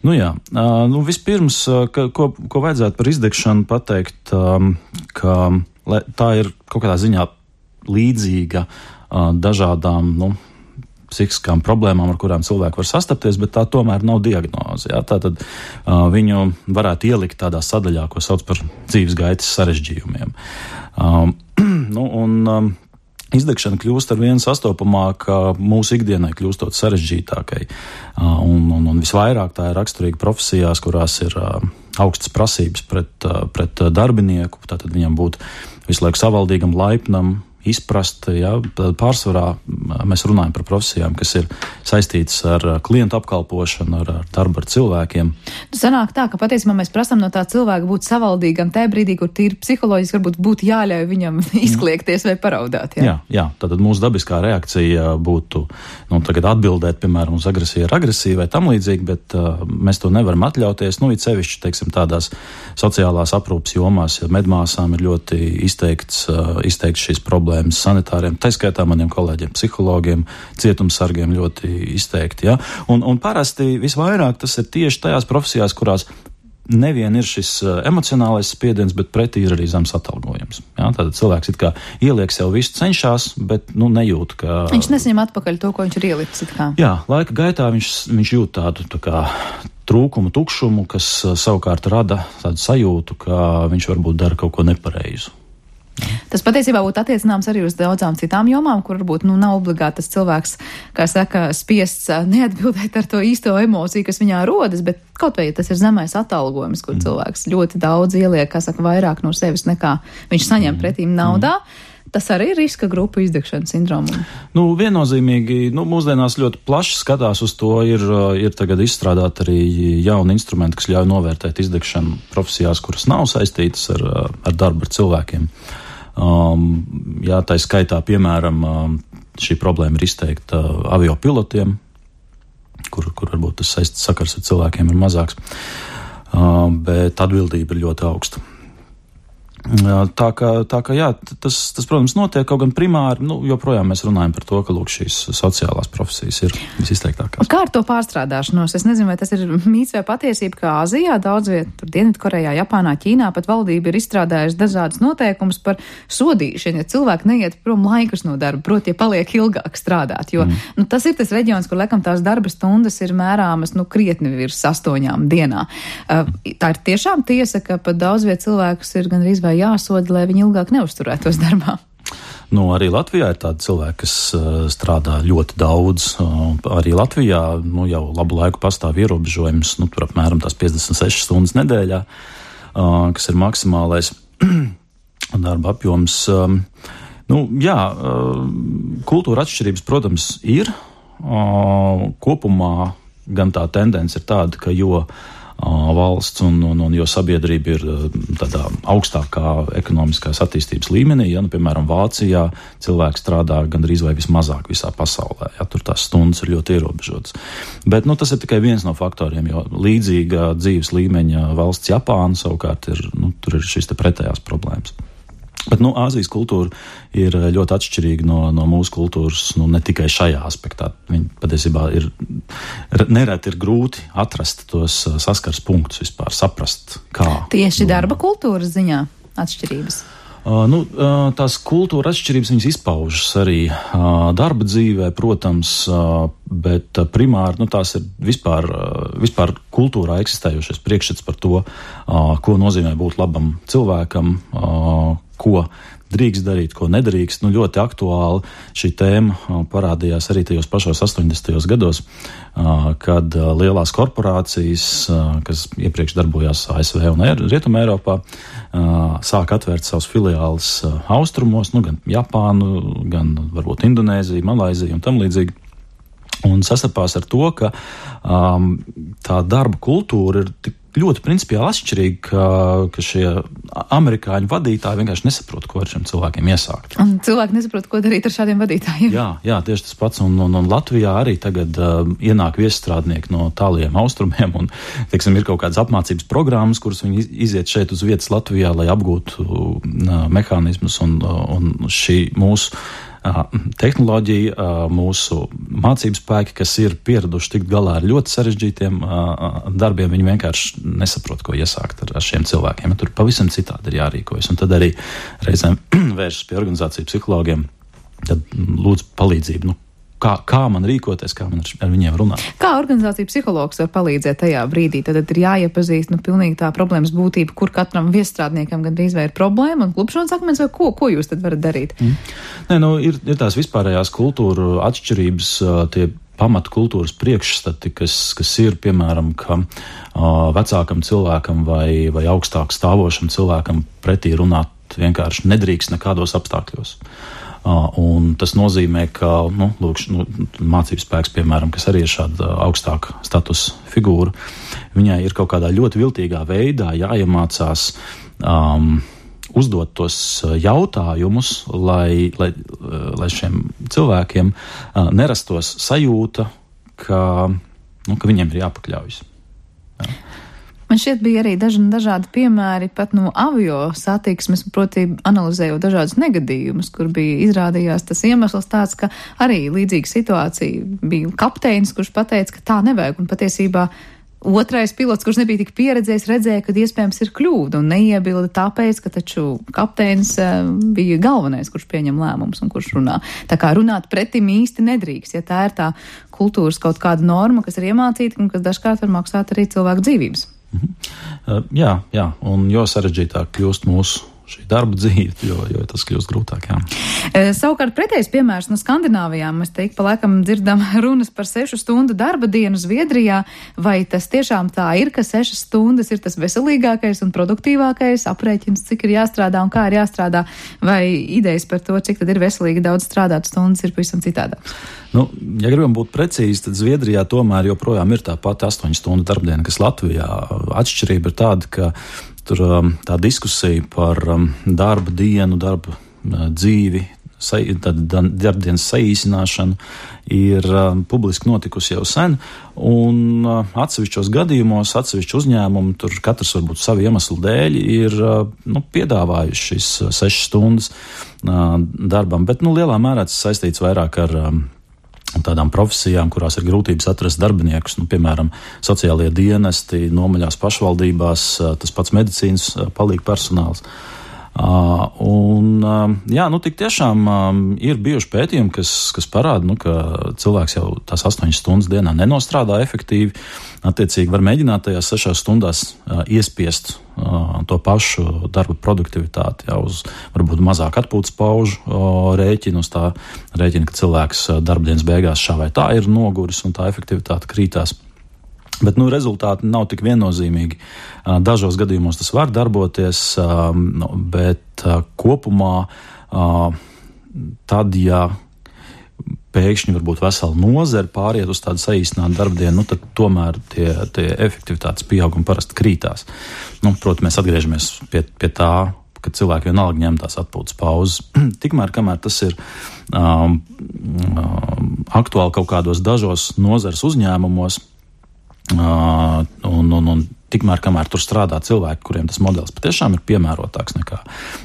Nu jā, uh, nu vispirms, uh, ka, ko, ko vajadzētu par izdegšanu pateikt, um, ka le, tā ir kaut kādā ziņā līdzīga uh, dažādām, nu, psihiskām problēmām, ar kurām cilvēki var sastapties, bet tā tomēr nav diagnoze. Jā? Tātad uh, viņu varētu ielikt tādā sadaļā, ko sauc par dzīves gaitas sarežģījumiem. Um, nu, un um, izdegšana kļūst ar vien sastopamāka mūsu ikdienai kļūstot sarežģītākai. Uh, un, un, un visvairāk tā ir raksturīga profesijās, kurās ir uh, augstas prasības pret, uh, pret darbinieku, tātad viņam būt visu laiku savaldīgam, laipnam, izprast, ja, pārsvarā mēs runājam par profesijām, kas ir saistītas ar klientu apkalpošanu, ar, ar darbu ar cilvēkiem. Sanāk tā, ka patiesībā mēs prasām no tā cilvēka būt savaldīgam tajā brīdī, kur tīri psiholoģiski varbūt būtu jāļauj viņam izkliegties vai paraudāt. Jā, jā, jā tātad mūsu dabiskā reakcija būtu, nu, tagad atbildēt, piemēram, uz agresiju ar agresiju vai tam līdzīgi, bet uh, mēs to nevaram atļauties. Nu, it sevišķi, teiksim, tādās sociālās aprūpas jomās, ja medmāsām ir ļoti izteikts, uh, izteikts šīs problēmas sanitāriem, tā skaitā maniem kolēģiem, psihologiem, cietumsargiem ļoti izteikti. Ja? Un, un parasti visvairāk tas ir tieši tajās profesijās, kurās nevien ir šis emocionālais spiediens, bet pretī ir arī zems atalgojums. Ja? Tātad cilvēks it kā ieliek sev visu, cenšas, bet nu, nejūt, ka... Viņš nesaņem atpakaļ to, ko viņš ir ielicis. It kā. Jā, laika gaitā viņš, viņš jūt tādu tā kā trūkumu, tukšumu, kas savukārt rada tādu sajūtu, ka viņš varbūt dara kaut ko nepareizu. Tas patiesībā būtu attiecināms arī uz daudzām citām jomām, kur varbūt nu, nav obligāti tas cilvēks, kā saka, spiests neatbildēt ar to īsto emociju, kas viņā rodas, bet kaut vai tas ir zemais atalgojums, kur mm. cilvēks ļoti daudz ieliek, kā saka, vairāk no sevis nekā viņš saņem mm. pretīm naudā. Mm. Tas arī ir riska grupu izdegšanas sindromu. Nu, viennozīmīgi, nu, mūsdienās ļoti plaši skatās uz to, ir, ir tagad izstrādāt arī jauni instrumenti, kas ļauj novērtēt izdegšanu profesijās, kuras nav saistītas ar, ar darbu ar cilvēkiem. Um, jā, tā skaitā, piemēram, um, šī problēma ir izteikta uh, avio pilotiem, kur, kur varbūt tas saistīts sakars ar cilvēkiem ir mazāks, uh, bet atbildība ir ļoti augsta. Tā kā, tā kā jā, tas, tas, protams, notiek, kaut gan primāri, nu, joprojām mēs runājam par to, ka, lūk, šīs sociālās profesijas ir visizteiktākās. Kā ar to pārstrādāšanos? Es nezinu, vai tas ir mīts vai patiesība, ka Āzijā, daudz viet, tur Dienvidkorejā, Japānā, Ķīnā pat valdība ir izstrādājusi dažādas noteikumus par sodīšanu, ja cilvēki neiet prom laikus no darba, proti, ja paliek ilgāk strādāt, jo, mm. nu, tas ir tas reģions, kur, laikam, tās darba stundas ir mērāmas, nu, krietni virs astoņām dienā. Uh, tā ir tiešām tiesa, ka pat daudz viet cilvēkus ir gan arī jāsoda, lai viņi ilgāk neuzturētos darbā. Nu, arī Latvijā ir tādi cilvēki, kas uh, strādā ļoti daudz. Uh, arī Latvijā nu, jau labu laiku pastāv ierobežojums, nu, tur apmēram tās piecdesmit sešas stundas nedēļā, uh, kas ir maksimālais darba apjoms. Um, nu, jā, uh, kultūra atšķirības, protams, ir. Uh, kopumā gan tā tendence ir tāda, ka jo valsts, un, un, un jo sabiedrība ir tādā augstākā ekonomiskās attīstības līmenī. Ja, nu, piemēram, Vācijā cilvēki strādā gandrīz vai vismazāk visā pasaulē. Ja, tur tās stundas ir ļoti ierobežotas. Bet nu, tas ir tikai viens no faktoriem, jo līdzīga dzīves līmeņa valsts Japāna savukārt ir, nu, tur ir šīs te pretējās problēmas. Bet, nu, Āzijas kultūra ir ļoti atšķirīga no, no mūsu kultūras, nu, ne tikai šajā aspektā. Viņi patiesībā ir, nereti ir grūti atrast tos saskars punktus vispār, saprast, kā. Tieši darba kultūras ziņā atšķirības? Uh, nu, uh, tās kultūra atšķirības viņas izpaužas arī uh, darba dzīvē, protams, uh, bet uh, primāri nu, tās ir vispār, uh, vispār kultūrā eksistējušies priekšstats par to, uh, ko nozīmē būt labam cilvēkam, uh, ko drīkst darīt, ko nedrīkst. Nu, ļoti aktuāli šī tēma uh, parādījās arī tajos pašos astoņdesmitajos gados, uh, kad uh, lielās korporācijas, uh, kas iepriekš darbojās A S V un Rietumē Eiropā, uh, sāk atvērt savus filiāles uh, austrumos, nu, gan Japānu, gan varbūt Indonēziju, Malaiziju un tam līdzīgi. Un sastapās ar to, ka um, tā darba kultūra ir tik ļoti principiāli atšķirīga, ka, ka šie amerikāņu vadītāji vienkārši nesaprot, ko ar šiem cilvēkiem iesākt. Un cilvēki nesaprot, ko darīt ar šādiem vadītājiem. Jā, jā, tieši tas pats. Un, un, un Latvijā arī tagad uh, ienāk viesstrādnieki no tāliem austrumiem un, teiksim, ir kaut kādas apmācības programmas, kuras viņi iziet šeit uz vietas Latvijā, lai apgūtu uh, mehānismus un, uh, un šī mūsu tehnoloģija, mūsu mācību spēki, kas ir pieraduši tikt galā ar ļoti sarežģītiem darbiem, viņi vienkārši nesaprot, ko iesākt ar, ar šiem cilvēkiem. Tur pavisam citādi ir jārīkojas. Un tad arī reizēm vēršas pie organizāciju psihologiem, tad lūdzu palīdzību. Nu, Kā, kā man rīkoties, kā man ar, ar viņiem runāt. Kā organizācija psihologs var palīdzēt tajā brīdī? Tad ir jāiepazīst, nu, pilnīgi tā problēmas būtība, kur katram viesstrādniekam gandrīz vai ir problēma un klupšanas akmens, vai ko, ko jūs tad varat darīt? Mm. Nē, nu, ir, ir tās vispārējās kultūra atšķirības, tie pamata kultūras priekšstati, kas, kas ir, piemēram, ka uh, vecākam cilvēkam vai, vai augstāk stāvošam cilvēkam pretī runāt vienkārši nedrīkst nekādos apstākļos. Uh, un tas nozīmē, ka nu, lūk, nu, mācības spēks, piemēram, kas arī ir šāda augstāka statusa figūra, viņai ir kaut kādā ļoti viltīgā veidā jāiemācās um, uzdot tos jautājumus, lai, lai, lai šiem cilvēkiem uh, nerastos sajūta, ka, nu, ka viņiem ir jāpakļaujas. Jā. Man šķiet bija arī daži dažādi piemēri pat no avio satiksmes, proti analizējot dažādus negadījumus, kur bija izrādījās tas iemesls tāds, ka arī līdzīga situācija bija kapteinis, kurš pateica, ka tā nevajag, un patiesībā otrais pilots, kurš nebija tik pieredzējis, redzēja, ka iespējams ir kļūda un neiebilda tāpēc, ka taču kapteinis bija galvenais, kurš pieņem lēmumus un kurš runā. Tā kā runāt pretim īsti nedrīkst, ja tā ir tā kultūras kaut kāda norma, kas ir iemācīta un kas dažkārt var maksāt arī cilvēku dzīvības. Mhm. Uh, jā, jā, un jo sarežģītāk kļūst mūsu šī darba dzīve, jo, jo tas kļūst grūtāk, jā. E, savukārt pretējs piemērs no Skandināvijām, mēs teiktu, pa laikam dzirdam runas par sešu stundu darba dienu Zviedrijā, vai tas tiešām tā ir, ka sešas stundas ir tas veselīgākais un produktīvākais aprēķins, cik ir jāstrādā un kā ir jāstrādā, vai idejas par to, cik tad ir veselīgi daudz strādāt stundas, ir pavisam citādāks? Nu, ja gribam būt precīzi, tad Zviedrijā tomēr joprojām ir tā pati astoņu stundu darbdiena, kas Latvijā. Atšķirība ir tāda, ka tur um, tā diskusija par um, darba dienu, darba uh, dzīvi, sa, darbdienas saīsināšanu ir um, publiski notikusi jau sen, un uh, atsevišķos gadījumos, atsevišķi uzņēmumi, tur katrs varbūt savu iemeslu dēļ, ir uh, nu, piedāvājuši šīs uh, sešas stundas uh, darbam, bet nu, lielā mērā tas saistīts vairāk ar um, tādām profesijām, kurās ir grūtības atrast darbiniekus, nu, piemēram, sociālie dienesti, nomaļās pašvaldībās, tas pats medicīnas palīga personāls. Uh, un, uh, jā, nu, tik tiešām uh, ir bijuši pētījumi, kas, kas parāda, nu, ka cilvēks jau tās astoņas stundas dienā nenostrādā efektīvi, attiecīgi var mēģināt tajās sešās stundās uh, iespiest uh, to pašu darba produktivitāti, jau uz varbūt mazāk atpūtas paužu uh, rēķinu, uz tā rēķina, ka cilvēks uh, darbdienas beigās šā vai tā ir noguris un tā efektivitāte krītās. Bet nu, rezultāti nav tik viennozīmīgi. Dažos gadījumos tas var darboties, bet kopumā tad, ja pēkšņi varbūt vesela nozara pāriet uz tādu saīsinātu darbdienu, nu, tad tomēr tie, tie efektivitātes pieaugumi parasti krītās. Nu, protams, mēs atgriežamies pie, pie tā, ka cilvēki vienalga ņem tās atpūtas pauzes. Tikmēr, kamēr tas ir um, um, aktuāli kaut kādos dažos nozares uzņēmumos, uh, un, un, un tikmēr, kamēr tur strādā cilvēki, kuriem tas modelis patiešām ir piemērotāks nekā,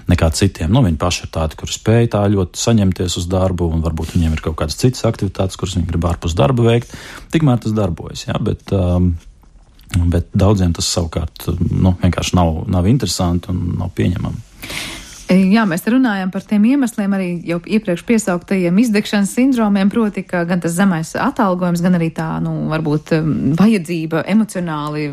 nekā citiem. Nu, viņi paši ir tādi, kuri spēj tā ļoti saņemties uz darbu, un varbūt viņiem ir kaut kādas citas aktivitātes, kuras viņi grib ārpus darba veikt. Tikmēr tas darbojas, jā, bet, um, bet daudziem tas savukārt nu, vienkārši nav, nav interesanti un nav pieņemami. Jā, mēs runājam par tiem iemesliem arī jau iepriekš piesauktajiem izdegšanas sindromiem, proti, ka gan tas zemais atalgojums, gan arī tā, nu, varbūt vajadzība emocionāli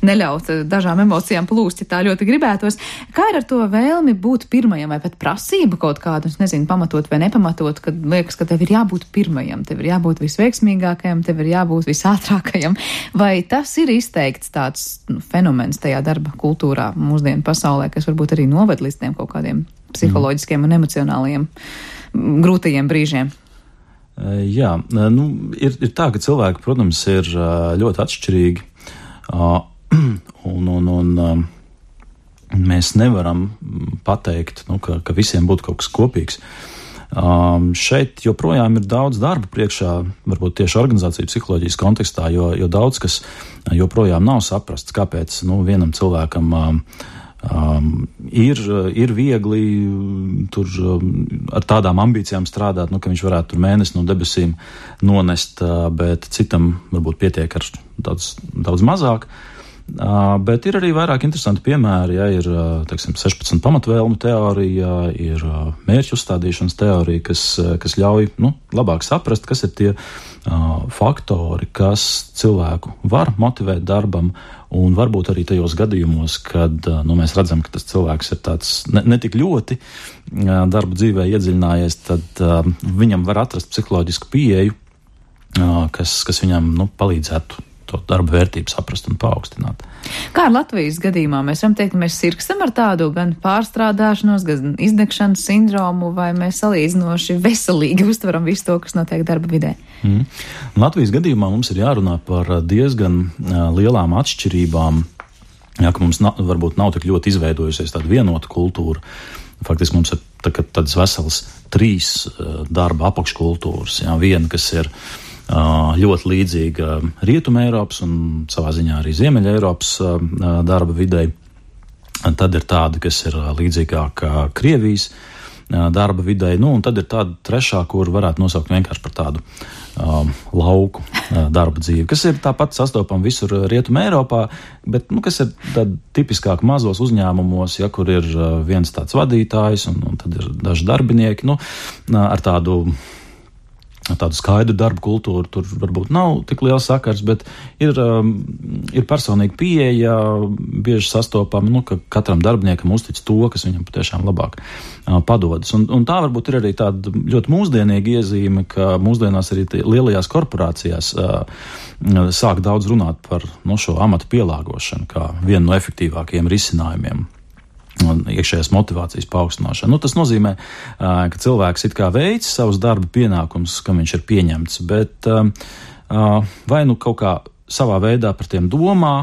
neļaut dažām emocijām plūst, ja tā ļoti gribētos. Kā ir ar to vēlmi būt pirmajam vai pat prasība kaut kādu, es nezinu, pamatot vai nepamatot, kad liekas, ka tev ir jābūt pirmajam, tev ir jābūt visveiksmīgākajam, tev ir jābūt visātrākajam, vai tas ir izteikts tāds nu, fenomens tajā darba kultūrā mūsdienu pasaulē, kas varbūt arī noved līdz tiem kaut kādiem psiholoģiskiem un emocionāliem grūtajiem brīžiem? Jā, nu, ir, ir tā, ka cilvēki, protams, ir ļoti atšķirīgi, un, un, un mēs nevaram pateikt, nu, ka, ka visiem būtu kaut kas kopīgs. Um, šeit joprojām ir daudz darba priekšā, varbūt tieši organizāciju psiholoģijas kontekstā, jo, jo daudz kas joprojām nav saprasts, kāpēc nu, vienam cilvēkam um, Um, ir, ir viegli tur um, ar tādām ambīcijām strādāt, nu, ka viņš varētu tur mēnesi no debesīm nonest, uh, bet citam varbūt pietiek ar daudz, daudz mazāk. Uh, bet ir arī vairāk interesanti piemēri, ja ir, uh, teiksim, sešpadsmit pamatvēlmu teorija, ir uh, mērķu uzstādīšanas teorija, kas, uh, kas ļauj, nu, labāk saprast, kas ir tie uh, faktori, kas cilvēku var motivēt darbam, un varbūt arī tajos gadījumos, kad nu, mēs redzam, ka tas cilvēks ir tāds ne, ne tik ļoti uh, darba dzīvē iedziļinājies, tad uh, viņam var atrast psiholoģisku pieeju, uh, kas, kas viņam nu, palīdzētu to darba vērtību saprast un paaugstināt. Kā ar Latvijas gadījumā? Mēs varam teikt, ka mēs sirkstam ar tādu gan pārstrādāšanos, gan izdegšanas sindromu, vai mēs salīdzinoši veselīgi uztveram visu to, kas notiek darba vidē? Mm. Latvijas gadījumā mums ir jārunā par diezgan uh, lielām atšķirībām, jā, ka mums na, varbūt nav tik ļoti izveidojusies tāda vienota kultūra. Faktiski mums ir tā, tādas veselas trīs uh, darba apakškultūras. Jā, viena, kas ir ļoti līdzīga Rietuma Eiropas un savā ziņā arī Ziemeļa Eiropas darba videi. Tad ir tāda, kas ir līdzīgāka Krievijas darba videi, nu un tad ir tāda trešā, kur varētu nosaukt vienkārši par tādu um, lauku darba dzīvi, kas ir tāpat sastopama visur Rietuma Eiropā, bet nu, kas ir tāda tipiskāk mazos uzņēmumos, ja kur ir viens tāds vadītājs un, un tad ir daži darbinieki, nu ar tādu tādu skaidru darbu kultūru tur varbūt nav tik liels sakars, bet ir, um, ir personīga pieeja, bieži sastopama, nu, ka katram darbiniekam uztic to, kas viņam patiešām labāk uh, padodas. Un, un tā varbūt ir arī tāda ļoti mūsdienīga iezīme, ka mūsdienās arī lielajās korporācijās uh, sāk daudz runāt par no šo amatu pielāgošanu kā vienu no efektīvākajiem risinājumiem. Un iekšējās motivācijas paaugstināšana. Nu, tas nozīmē, ka cilvēks it kā veic savus darba pienākumus, kam viņš ir pieņemts, bet vai nu kaut kā savā veidā par tiem domā,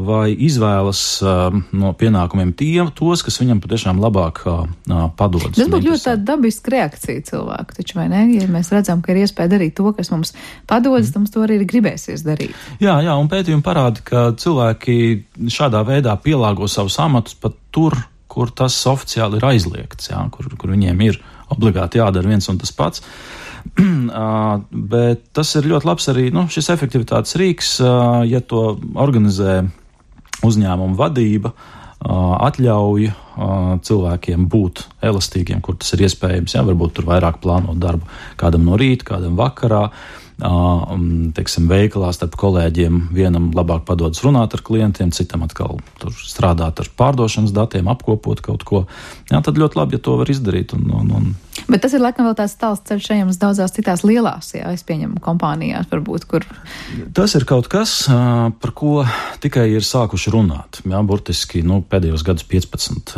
vai izvēlas no pienākumiem tie, tos, kas viņam patiešām labāk padodas. Tas būtu ļoti tāda dabiska reakcija cilvēku, taču vai ne? Ja mēs redzam, ka ir iespēja darīt to, kas mums padodas, mm. mums to arī gribēsies darīt. Jā, jā, un pētījumi parāda, ka cilvēki šādā veidā pielāgo savus amatus pat tur, kur tas oficiāli ir aizliegts, jā, kur, kur viņiem ir obligāti jādara viens un tas pats. uh, bet tas ir ļoti labs arī nu, šis efektivitātes rīks, uh, ja to organizē uzņēmuma vadība, uh, atļauj uh, cilvēkiem būt elastīgiem, kur tas ir iespējams. Jā, varbūt tur vairāk plānot darbu kādam no rīta, kādam vakarā. Uh, teiksim, veikalā starp kolēģiem vienam labāk padodas runāt ar klientiem, citam atkal tur strādāt ar pārdošanas datiem, apkopot kaut ko. Jā, tad ļoti labi, ja to var izdarīt. Un, un, un Bet tas ir laikam vēl tāds tāls ceļš ejams daudzās citās lielās, jā, es pieņemu kompānijās varbūt, kur. Tas ir kaut kas, par ko tikai ir sākuši runāt, jā, burtiski, nu, pēdējos gadus piecpadsmit.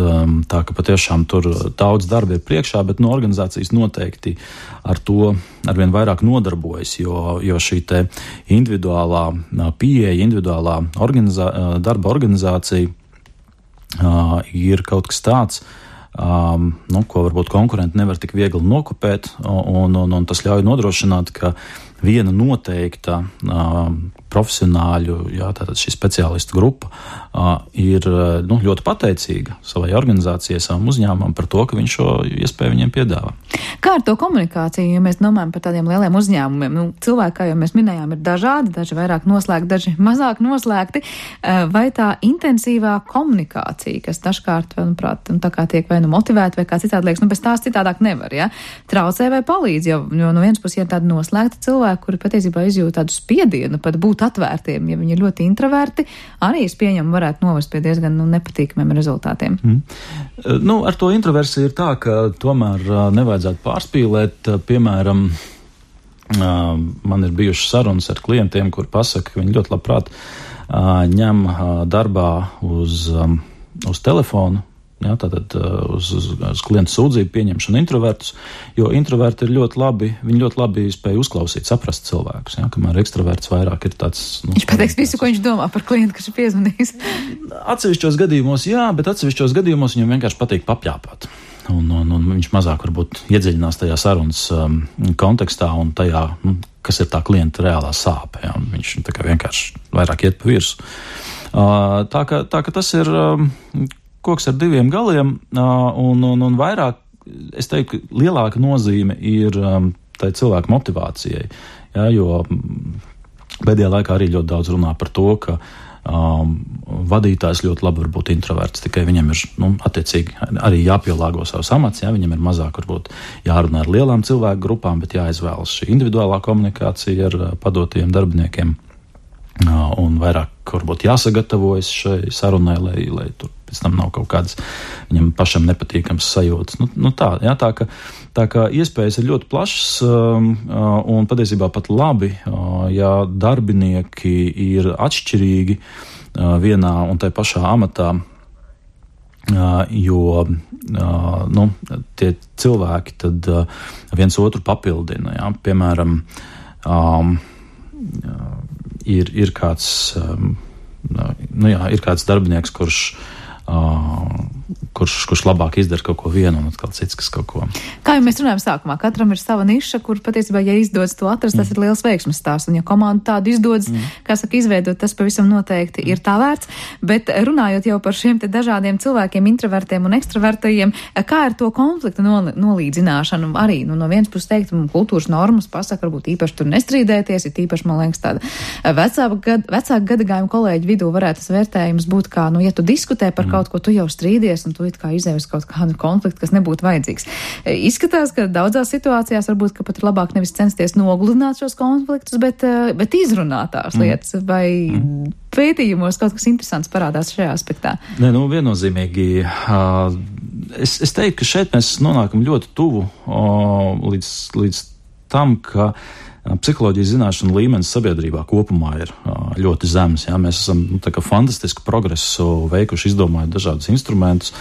Tā ka patiešām tur daudz darba ir priekšā, bet no organizācijas noteikti ar to arvien vairāk nodarbojas, jo, jo šī te individuālā pieeja, individuālā organizā, darba organizācija uh, ir kaut kas tāds, um, nu, ko varbūt konkurenti nevar tik viegli nokopēt, un, un, un tas ļauj nodrošināt, ka viena noteikta uh, profesionāļu, jā, tātad šī speciālistu grupa uh, ir nu, ļoti pateicīga savai organizācijai, savam uzņēmumam par to, ka viņš šo iespēju viņiem piedāvā. Kā ar to komunikāciju, ja mēs domājam par tādiem lieliem uzņēmumiem? Nu, cilvēki, kā jau mēs minējām, ir dažādi, daži vairāk noslēgti, daži mazāk noslēgti. Vai tā intensīvā komunikācija, kas dažkārt, manuprāt, tā kā tiek vai nu motivēta, vai kā citādi liekas, nu bez tās citādāk nevar, ja? Traucē vai palīdz, jo, jo no vienas puses ir tādi noslēgti cilvēki, kuri patiesībā izjūt tādu spiedienu, pat būt atvērtiem, ja viņi ir ļoti introverti, arī es pieņemu varētu novest pie diezgan nu, nepatīkamiem rezultātiem. Mm. Nu, ar to introversiju ir tā, ka tomēr nevajadzētu pārspīlēt. Piemēram, man ir bijušas sarunas ar klientiem, kur pasaka, ka viņi ļoti labprāt ņem darbā uz, uz telefonu, jā, tātad uz, uz, uz klientu sūdzību pieņemšanu introvertus, jo introverti ir ļoti labi, viņi ļoti labi spēj uzklausīt, saprast cilvēkus, jā, kamēr ekstraverts vairāk ir tāds... Nu, viņš pateiks visu, ko viņš domā par klientu, kas ir piezvanījis. Atsevišķos gadījumos, jā, bet atsevišķos gadījumos viņam vienkārši patīk papļāpāt. Un, un, un viņš mazāk varbūt iedziļinās tajā sarunas um, kontekstā un tajā, nu, kas ir tā klienta reālā sāpe, jā, viņš tā kā vienkārši vairāk iet pa virsu. Uh, tā, ka, tā ka tas ir... Um, koks ar diviem galiem, un, un, un vairāk, es teiktu, lielāka nozīme ir um, tai cilvēku motivācijai, ja, jo pēdējā laikā arī ļoti daudz runā par to, ka um, vadītājs ļoti labi var būt introverts, tikai viņam ir, nu, attiecīgi arī jāpielāgo savus amats, ja, viņam ir mazāk varbūt jārunā ar lielām cilvēku grupām, bet jāizvēlas šī individuālā komunikācija ar padotajiem darbiniekiem, uh, un vairāk varbūt jāsagatavojas šai sarunai, lai, lai tur pēc tam nav kaut kādas viņam pašam nepatīkams sajūtas. Nu, nu tā, jā, tā, ka, tā ka iespējas ir ļoti plašas um, un patiesībā pat labi, uh, ja darbinieki ir atšķirīgi uh, vienā un tai pašā amatā, uh, jo uh, nu, tie cilvēki tad uh, viens otru papildina. Jā. Piemēram, um, ir, ir kāds, um, nu jā, ir kāds darbinieks, kurš Uh, kurš, kurš labāk izdara kaut ko vienu un atkal cits, kas kaut ko. Kā jau mēs runājam sākumā, katram ir sava niša, kur patiesībā, ja izdodas to atrast, tas mm. ir liels veiksmes stāsts, un ja komanda tādu izdodas, mm. kā saka, izveidot, tas pavisam noteikti mm. ir tā vērts, bet runājot jau par šiem te dažādiem cilvēkiem, introvertiem un ekstravertajiem, kā ar to konfliktu nol, nolīdzināšanu arī, nu, no vienas puses teikt, kultūras normas pasaka, varbūt īpaši tur nestrīdēties, ir īpaši, man liekas, tāda vecāka gad, vecāka gadagājuma kolēģi vidū varētu tas vērtējums būt kā, nu, ja tu diskutē par mm. kaut ko, tu jau strīdies, un tu it kā izēvis kaut kādu konfliktu, kas nebūtu vajadzīgs. Izskatās, ka daudzās situācijās varbūt, ka pat ir labāk nevis censties nogludināt šos konfliktus, bet, bet izrunāt tās lietas, mm. vai mm. pētījumos kaut kas interesants parādās šajā aspektā. Nē, nu, viennozīmīgi. Uh, es, es teiktu, ka šeit mēs nonākam ļoti tuvu uh, līdz, līdz tam, ka psiholoģijas zināšanu līmenis sabiedrībā kopumā ir uh, ļoti zems. Jā. Mēs esam nu, tā kā fantastisku progresu veikuši, izdomājot dažādus instrumentus.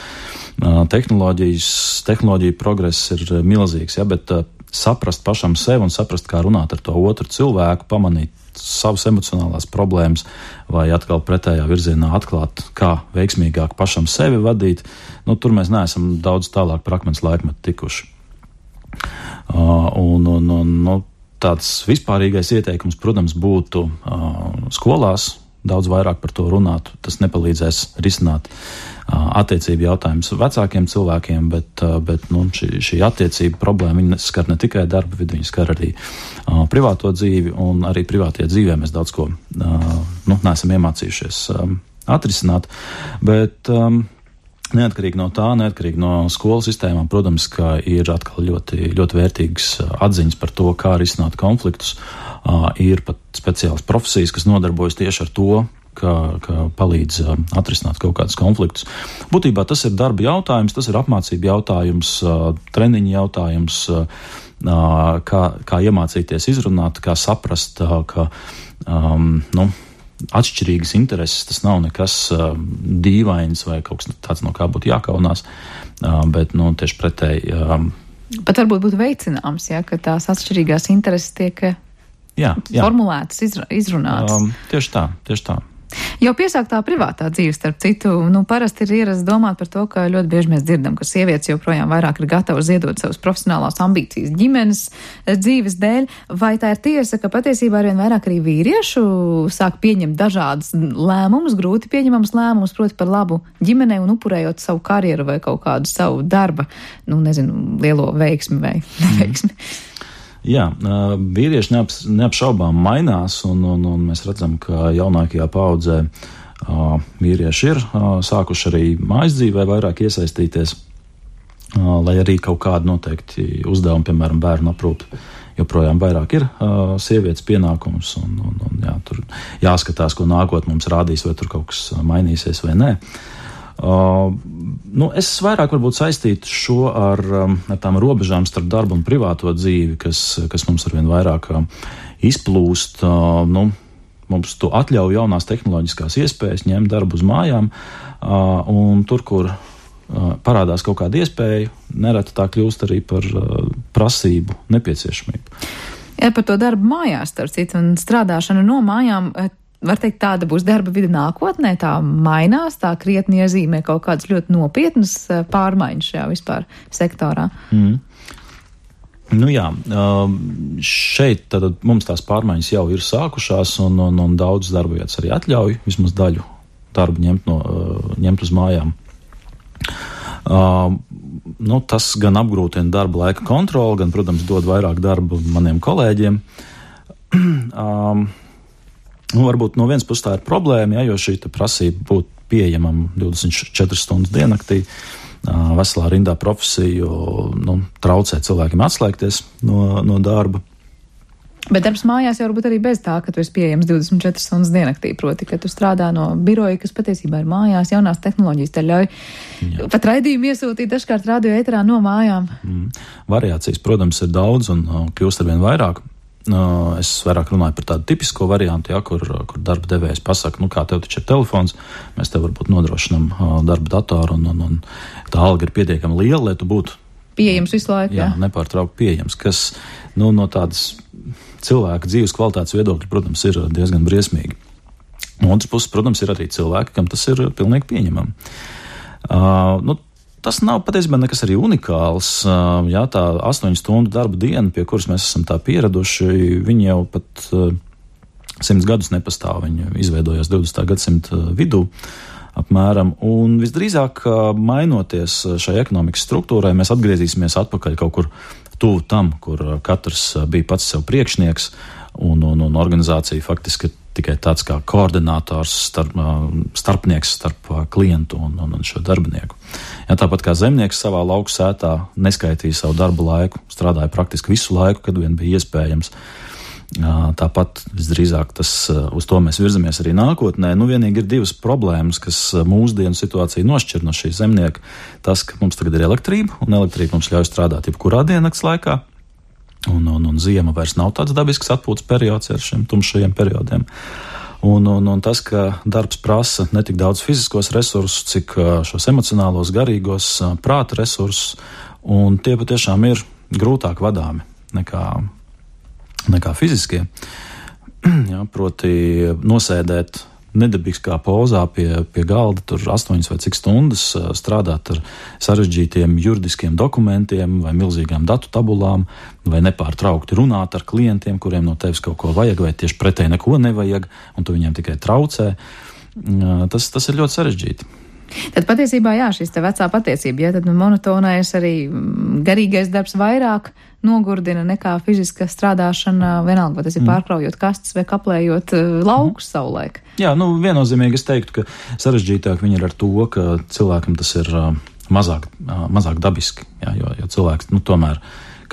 Uh, tehnoloģijas, tehnoloģija progress ir milzīgs, jā, bet uh, saprast pašam sevi un saprast, kā runāt ar to otru cilvēku, pamanīt savas emocionālās problēmas vai atkal pretējā virzienā atklāt, kā veiksmīgāk pašam sevi vadīt, nu, tur mēs neesam daudz tālāk par akmens laikmetu tikuši. Uh, un, un, un, nu, tāds vispārīgais ieteikums, protams, būtu uh, skolās daudz vairāk par to runāt. Tas nepalīdzēs risināt uh, attiecību jautājumus vecākiem cilvēkiem, bet, uh, bet nu, šī, šī attiecība problēma, viņa skar ne tikai darba vidi, viņa skar arī uh, privāto dzīvi, un arī privātajā dzīvē mēs daudz ko uh, nu, neesam iemācījušies um, atrisināt. Bet um, neatkarīgi no tā, neatkarīgi no skolu sistēmām, protams, ka ir atkal ļoti, ļoti vērtīgas atziņas par to, kā risināt konfliktus. Uh, ir pat speciālas profesijas, kas nodarbojas tieši ar to, ka, ka palīdz atrisināt kaut kādus konfliktus. Būtībā tas ir darba jautājums, tas ir apmācība jautājums, treniņa jautājums, kā, kā iemācīties izrunāt, kā saprast, ka um, nu, atšķirīgas intereses, tas nav nekas uh, dīvains vai kaut kas tāds, no kā būtu jākaunās, uh, bet nu, tieši pretēji. Um, Pat varbūt būtu veicināms, ja, ka tās atšķirīgās intereses tiek jā, jā. formulētas, izra, izrunātas. Um, tieši tā, tieši tā. Jau piesāktā privātā dzīve, starp citu, nu, parasti ir ierasts domāt par to, ka ļoti bieži mēs dzirdam, ka sievietes joprojām vairāk ir gatavas ziedot savas profesionālās ambīcijas ģimenes dzīves dēļ, vai tā ir tiesa, ka patiesībā arvien vairāk arī vīriešu sāk pieņemt dažādas lēmumus, grūti pieņemamas lēmumus, proti par labu ģimenei un upurējot savu karjeru vai kaut kādu savu darba, nu, nezinu, lielo veiksmi vai neveiksmi. Mm. Jā, vīrieši neap, neapšaubām mainās, un, un, un mēs redzam, ka jaunākajā paudzē vīrieši ir sākuši arī mājas dzīvē vairāk iesaistīties, lai arī kaut kādi noteikti uzdevumi, piemēram, bērnu aprūpe, joprojām vairāk ir sievietes pienākums, un, un, un jā, tur jāskatās, ko nākot mums rādīs, vai tur kaut kas mainīsies vai nē. Uh, nu, es vairāk varbūt saistītu šo ar, ar tām robežām starp darbu un privāto dzīvi, kas, kas mums arvien vairāk uh, izplūst. Uh, nu, mums to atļauj jaunās tehnoloģiskās iespējas ņemt darbu uz mājām, uh, un tur, kur uh, parādās kaut kāda iespēja, nereti tā kļūst arī par uh, prasību, nepieciešamību. Ja par to darbu mājās, starp citu, un strādāšanu no mājām, var teikt, tāda būs darba vide nākotnē, tā mainās, tā krietni iezīmē kaut kādas ļoti nopietnas pārmaiņas šajā vispār sektorā. Mm. Nu jā, šeit tad mums tās pārmaiņas jau ir sākušās, un, un, un daudz darba vietas arī atļauj vismaz daļu darbu ņemt, no, ņemt uz mājām. Uh, nu, tas gan apgrūtina darba laika kontroli, gan, protams, dod vairāk darba maniem kolēģiem. um, Nu, varbūt no vienas puses tā ir problēma, ja, jo šī prasība būt pieejamam divdesmit četras stundas diennaktī, veselā rindā profesiju, nu, traucē cilvēkiem atslēgties no, no darba. Bet darbs mājās jau varbūt arī bez tā, ka tu esi pieejams divdesmit četras stundas diennaktī, proti, ka tu strādā no biroja, kas patiesībā ir mājās, jaunās tehnoloģijas te ļauj Jā. Pat raidījumu iesūtīt dažkārt radio ēterā no mājām. Mm. Variācijas, protams, ir daudz un kļūst arvien vairāk. Es vairāk runāju par tādu tipisko variantu, ja, kur, kur darba devējs pasaka, nu kā tev taču ir telefons, mēs tev varbūt nodrošinam darba datoru, un, un, un tā alga ir pietiekami liela, lai tu būtu pieejams visu laiku. Jā, jā. nepārtraukti pieejams, kas nu, no tādas cilvēka dzīves kvalitātes viedokļa, protams, ir diezgan briesmīgi. No otras puses, protams, ir arī cilvēki, kam tas ir pilnīgi pieņemami. Uh, nu, Tas nav patiesībā nekas arī unikāls. Jā, tā astoņu stundu darba diena, pie kuras mēs esam tā pieraduši, viņi jau pat simts gadus nepastāv. Viņi izveidojās divdesmitā gadsimta vidū apmēram. Un visdrīzāk, mainoties šai ekonomikas struktūrai, mēs atgriezīsimies atpakaļ kaut kur tuvu tam, kur katrs bija pats sev priekšnieks, un, un, un organizācija faktiski tikai tāds kā koordinators, starp, starpnieks starp klientu un, un, un šo darbinieku. Ja, tāpat kā zemnieks savā lauku sētā neskaitīja savu darba laiku, strādāja praktiski visu laiku, kad vien bija iespējams. Tāpat visdrīzāk tas, uz to mēs virzamies arī nākotnē. Nu, vienīgi ir divas problēmas, kas mūsdienu situāciju nošķir no šī zemnieka. Tas, ka mums tagad ir elektrība, un elektrība mums ļauj strādāt jebkurā diennakts laikā. Un, un, un ziema vairs nav tāds dabisks atpūtas periods ar šiem tumšajiem periodiem. Un, un, un tas, ka darbs prasa ne tik daudz fiziskos resursus, cik šos emocionālos, garīgos, prāta resursus, un tie patiešām ir grūtāk vadāmi nekā, nekā fiziskie. Jā, proti nosēdēt nedabīgā pozā pie, pie galda, tur astoņas vai cik stundas strādāt ar sarežģītiem juridiskiem dokumentiem vai milzīgām datu tabulām, vai nepārtraukti runāt ar klientiem, kuriem no tevis kaut ko vajag, vai tieši pretēji neko nevajag, un tu viņiem tikai traucē. Tas, tas ir ļoti sarežģīti. Tad patiesībā, jā, šis te vecā patiesība, ja tad monotonais arī garīgais darbs vairāk nogurdina nekā fiziska strādāšana, vienalga, vai tas ir pārkraujot kastes vai kaplējot laukus mm. savulaik. Jā, nu viennozīmīgi es teiktu, ka sarežģītāk viņi ir ar to, ka cilvēkam tas ir mazāk, mazāk dabiski, jā, jo, jo cilvēks, nu tomēr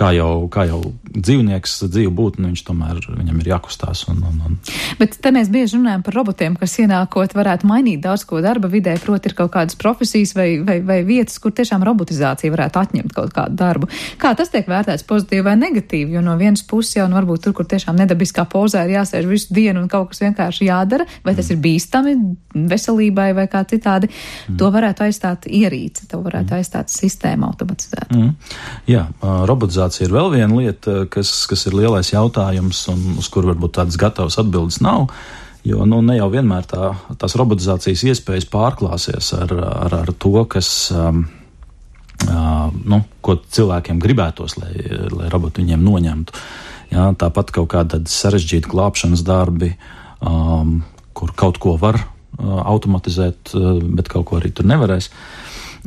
kā jau, kā jau dzīvnieks, dzīvu būtni, viņš tomēr viņam ir jākustās. Un, un, un. Bet te mēs bieži runājam par robotiem, kas ienākot varētu mainīt daudz ko darba vidē, proti ir kaut kādas profesijas vai, vai, vai vietas, kur tiešām robotizācija varētu atņemt kaut kādu darbu. Kā tas tiek vērtēts pozitīvi vai negatīvi? Jo no vienas puses jau, nu, varbūt tur, kur tiešām nedabiskā pozā ir jāsēž visu dienu un kaut kas vienkārši jādara, vai tas ir bīstami veselībai vai kā citādi, mm. to varētu aizstāt ierīce, to varētu aizstāt sistēma automatizēta. Mm. Jā, robotizācija ir vēl viena lieta, kas, kas ir lielais jautājums un uz kuru varbūt tādas gatavas atbildes nav, jo nu, ne jau vienmēr tā, tās robotizācijas iespējas pārklāsies ar, ar, ar to, kas, um, uh, nu, ko cilvēkiem gribētos, lai, lai roboti viņiem noņemtu. Jā, tāpat kaut kāda sarežģīta glābšanas darbi, um, kur kaut ko var uh, automatizēt, uh, bet kaut ko arī tur nevarēs.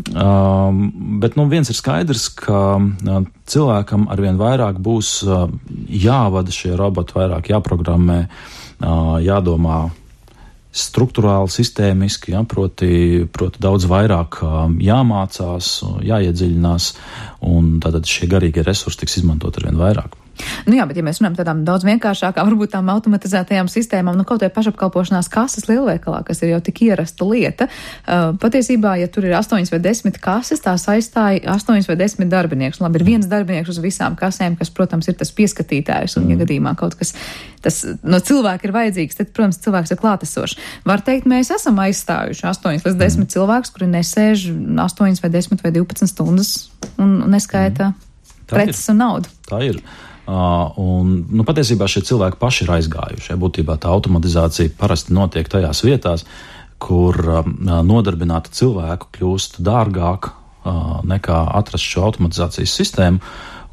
Um, bet nu, viens ir skaidrs, ka uh, cilvēkam arvien vairāk būs uh, jāvada šie roboti, vairāk jāprogrammē, uh, jādomā struktūrāli, sistēmiski, ja, proti, proti daudz vairāk uh, jāmācās, jāiedziļinās, un tātad šie garīgie resursi tiks izmantot arvien vairāk. Nu jā, bet ja mēs runājam tādām daudz vienkāršākām, varbūt tām automatizētajām sistēmām, nu kaut vai pašapkalpošanās kases lielveikalā, kas ir jau tik ierasta lieta, uh, patiesībā, ja tur ir astoņas vai desmit kases, tās aizstāja astoņas vai desmit darbinieks. Labi, ir viens darbinieks uz visām kasēm, kas, protams, ir tas pieskatītājs, un ja gadījumā kaut kas tas no cilvēka ir vajadzīgs, tad, protams, cilvēks ir klātesošs. Var teikt, mēs esam aizstājuši astoņas līdz desmit mm. cilvēkus, kuri nesēž astoņas vai desmit vai divpadsmit stundas un neskaita mm. preces un naudu. Tā ir. Uh, un, nu, patiesībā šie cilvēki paši ir aizgājuši. Būtībā tā automatizācija parasti notiek tajās vietās, kur uh, nodarbināta cilvēku kļūst dārgāk uh, nekā atrast šo automatizācijas sistēmu.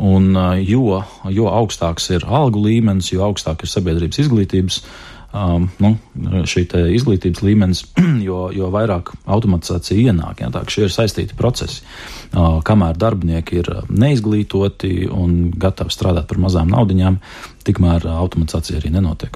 Un, uh, jo, jo augstāks ir algu līmenis, jo augstāk ir sabiedrības izglītības um, nu, šī te izglītības līmenis, jo, jo vairāk automatizācija ienāk. Ja, tā, šie ir saistīti procesi. Uh, kamēr darbinieki ir neizglītoti un gatavi strādāt par mazām naudiņām, tikmēr automatizācija arī nenotiek.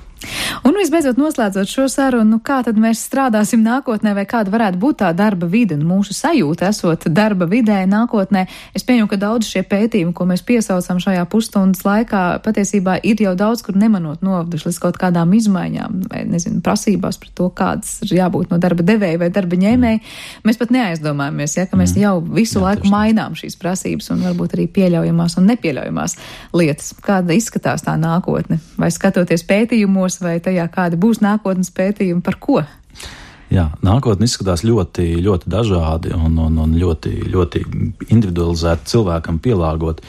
Un visbeidzot, noslēdzot šo sarunu, nu kā tad mēs strādāsim nākotnē, vai kāda varētu būt tā darba vide, un mūsu sajūta esot darba vidē nākotnē. Es pieņemu, ka daudz šie pētījumi, ko mēs piesaucam šajā pusstundas laikā, patiesībā ir jau daudz, kur nemanot noveduši līdz kaut kādām izmaiņām, vai, nezinu, prasībās par to, kādas ir jābūt no darba devēja vai darba ņēmēja. Mēs pat neaizdomājamies, ja, ka mēs jau visu Jā, laiku mainām šīs prasības un varbūt arī pieļaujamās un nepieļaujamās lietas. Kāda izskatās tā nākotne? Vai skatoties pētījumos, vai tajā kādi būs nākotnes pētījumi par ko? Jā, nākotne izskatās ļoti, ļoti dažādi un, un, un ļoti, ļoti individualizēti cilvēkam pielāgot.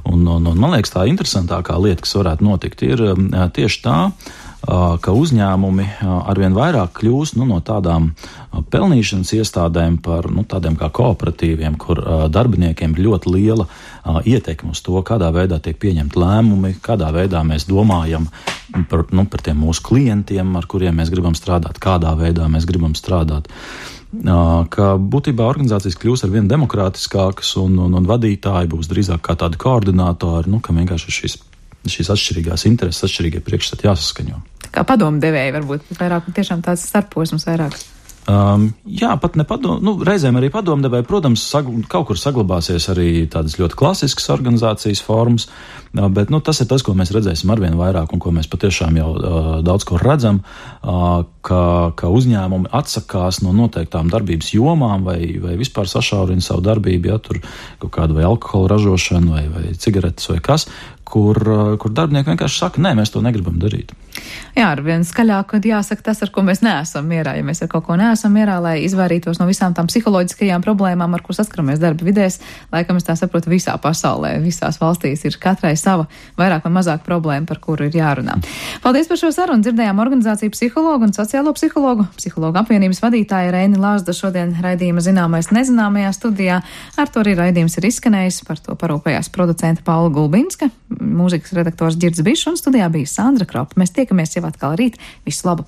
Un, un, un man liekas, tā interesantākā lieta, kas varētu notikt, ir tieši tā, ka uzņēmumi arvien vairāk kļūst nu, no tādām pelnīšanas iestādēm par nu, tādiem kā kooperatīviem, kur darbiniekiem ir ļoti liela ietekme uz to, kādā veidā tiek pieņemti lēmumi, kādā veidā mēs domājam par, nu, par tiem mūsu klientiem, ar kuriem mēs gribam strādāt, kādā veidā mēs gribam strādāt. Ka būtībā organizācijas kļūs ar vien demokrātiskākas un, un, un vadītāji būs drīzāk kā tādi koordinātori, nu, kam vienkārši šīs šīs atšķirīgās intereses, atšķirīgie priekšstati jāsaskaņo. Tā kā padomu devēji varbūt vairāk, tiešām tāds starposms vairāk. Um, jā, pat ne padomu, nu, reizēm arī padomu devēji, protams, sagl- kaut kur saglabāsies arī tādas ļoti klasiskas organizācijas formas, bet, nu, tas ir tas, ko mēs redzēsim arvien vairāk un ko mēs patiešām jau uh, daudz ko redzam, uh, ka, ka uzņēmumi atsakās no noteiktām darbības jomām vai, vai vispār sašaurina savu darbību, ja tur kaut kādu vai alkohola ražošanu vai, vai cigaretes vai kas, kur, kur darbinieki vienkārši saka, nē, mēs to negribam darīt. Jā, ar vien skaļāk, kad jāsaka tas, ar ko mēs neesam mierā. Ja mēs ar kaut ko neesam mierā, lai izvairītos no visām tām psiholoģiskajām problēmām, ar ko saskaramies darba vidēs, laikam es tā saprotu visā pasaulē, visās valstīs ir katrai sava vairāk vai mazāk problēma, par kuru ir jārunā. Paldies par šo sarunu. Dzirdējām organizāciju psihologu un sociālo psihologu, psihologu apvienības vadītāja Reini Lāsda šodien raidījuma Zināmais nezināmajā studijā. Ar to arī raidījums ir izskanējis, par to parūpējās producenta Paula Gulbinska, mūzikas redaktors Ģirds Bišs un studijā bija Sandra Kropa. Mēs tiekamies jau atkal rīt. Visu labu!